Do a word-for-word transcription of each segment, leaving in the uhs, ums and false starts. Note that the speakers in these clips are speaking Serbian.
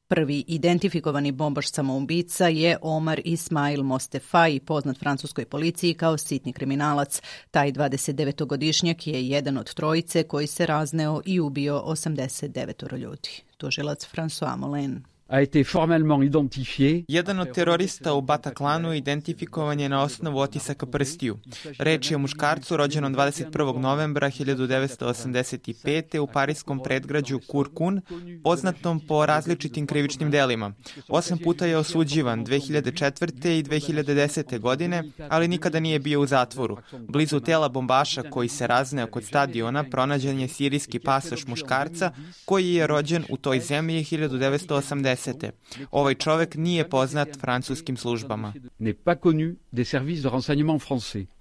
Prvi identifikovani bombaš samoubica je Omar Ismail Mostefai, poznat francuskoj policiji kao sitni kriminalac. Taj dvadesetdevetogodišnjak je jedan od trojice koji se razneo i ubio osamdeset devet ljudi. Tužilac François Molin. A été formellement identifié. Jedan od terorista u Bataclanu identifikovan je na osnovu otisaka prstiju. Reč je o muškarcu rođenom dvadeset prvog novembra hiljadu devetsto osamdeset pete. u parijskom predgrađu Kurkun, poznatom po različitim krivičnim delima. Osam puta je osuđivan dve hiljade četvrte. i dve hiljade desete. godine, ali nikada nije bio u zatvoru. Blizu tela bombaša koji se razneo kod stadiona pronađen je sirijski pasoš muškarca koji je rođen u toj zemlji hiljadu devetsto osamdesete. Ovaj čovek nije poznat francuskim službama.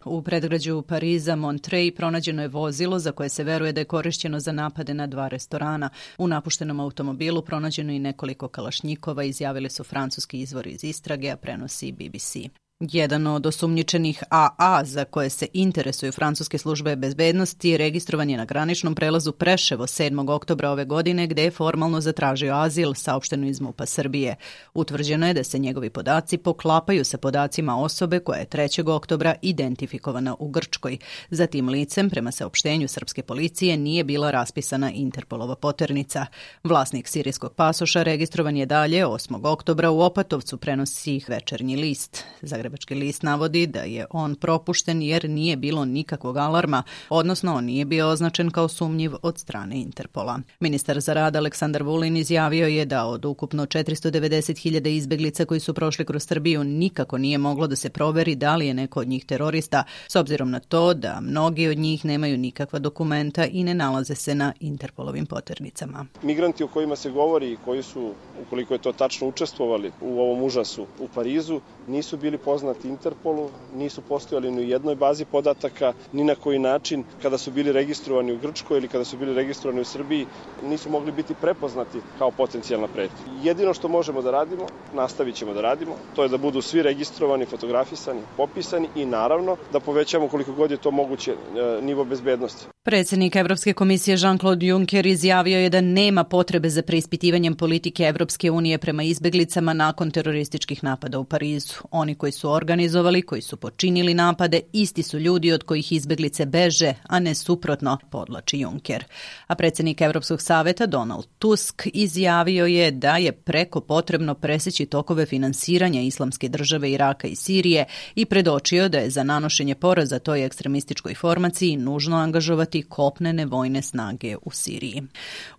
U predgrađu Pariza Montreuil pronađeno je vozilo za koje se veruje da je korišćeno za napade na dva restorana. U napuštenom automobilu pronađeno i nekoliko kalašnjikova, izjavili su francuski izvori iz istrage, a prenosi B B C. Jedan od osumnjičenih A A za koje se interesuju francuske službe bezbednosti registrovan je na graničnom prelazu Preševo sedmog oktobra ove godine, gde je formalno zatražio azil, saopšteno iz MUP-a Srbije. Utvrđeno je da se njegovi podaci poklapaju sa podacima osobe koja je trećeg oktobra identifikovana u Grčkoj. Za tim licem, prema saopštenju srpske policije, nije bila raspisana Interpolova poternica. Vlasnik sirijskog pasoša registrovan je dalje osmog oktobra u Opatovcu, prenosi Večernji list. Zagrebački list navodi da je on propušten jer nije bilo nikakvog alarma, odnosno on nije bio označen kao sumnjiv od strane Interpola. Ministar za rad Aleksandar Vulin izjavio je da od ukupno četiristo devedeset hiljada izbeglica koji su prošli kroz Srbiju nikako nije moglo da se proveri da li je neko od njih terorista, s obzirom na to da mnogi od njih nemaju nikakva dokumenta i ne nalaze se na Interpolovim poternicama. Migranti o kojima se govori i koji su, ukoliko je to tačno, učestvovali u ovom užasu u Parizu, nisu bili poznati Interpolu, nisu postojali ni u jednoj bazi podataka, ni na koji način kada su bili registrovani u Grčkoj ili kada su bili registrovani u Srbiji, nisu mogli biti prepoznati kao potencijalna pretnja. Jedino što možemo da radimo, nastavit ćemo da radimo, to je da budu svi registrovani, fotografisani, popisani i naravno da povećamo koliko god je to moguće nivo bezbednosti. Predsjednik Evropske komisije Jean-Claude Juncker izjavio je da nema potrebe za preispitivanjem politike Evropske unije prema izbeglicama nakon terorističkih napada u Parizu. Oni koji su organizovali, koji su počinili napade, isti su ljudi od kojih izbeglice beže, a ne suprotno, podlači Juncker. A predsjednik Evropskog saveta Donald Tusk izjavio je da je preko potrebno preseći tokove finansiranja Islamske države Iraka i Sirije i predočio da je za nanošenje poraza toj ekstremističkoj formaciji nužno angažovati kopnene vojne snage u Siriji.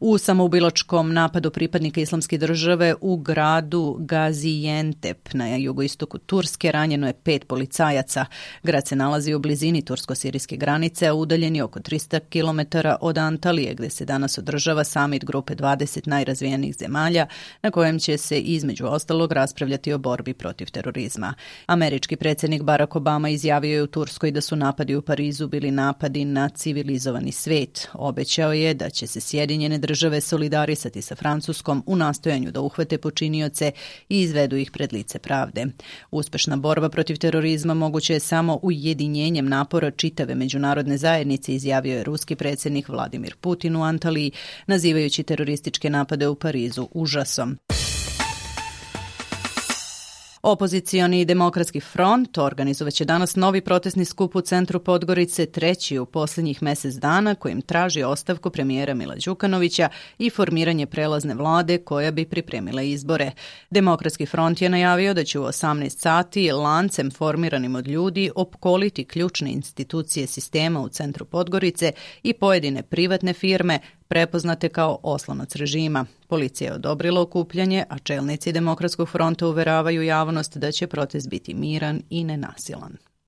U samoubilačkom napadu pripadnika Islamske države u gradu Gaziantep na jugoistoku Turske ranjeno je pet policajaca. Grad se nalazi u blizini tursko-sirijske granice, a udaljen je oko tristo kilometara od Antalije, gde se danas održava samit grupe dvadeset najrazvijenijih zemalja, na kojem će se između ostalog raspravljati o borbi protiv terorizma. Američki predsjednik Barack Obama izjavio je u Turskoj da su napadi u Parizu bili napadi na civilizovani svet. Obećao je da će se Sjedinjene države solidarisati sa Francuskom u nastojanju da uhvate počinioce i izvedu ih pred lice pravde. Uspešna borba protiv terorizma moguće je samo ujedinjenjem napora čitave međunarodne zajednice, izjavio je ruski predsjednik Vladimir Putin u Antaliji, nazivajući terorističke napade u Parizu užasom. Opozicioni demokratski front organizovaće danas novi protestni skup u centru Podgorice, treći u posljednjih mjesec dana, kojim traži ostavku premijera Mila Đukanovića i formiranje prelazne vlade koja bi pripremila izbore. Demokratski front je najavio da će u osamnaest sati lancem formiranim od ljudi opkoliti ključne institucije sistema u centru Podgorice i pojedine privatne firme prepoznate kao oslonac režima. Policija je odobrila okupljanje, a čelnici Demokratskog fronta uveravaju javnost da će protest biti miran i nenasilan.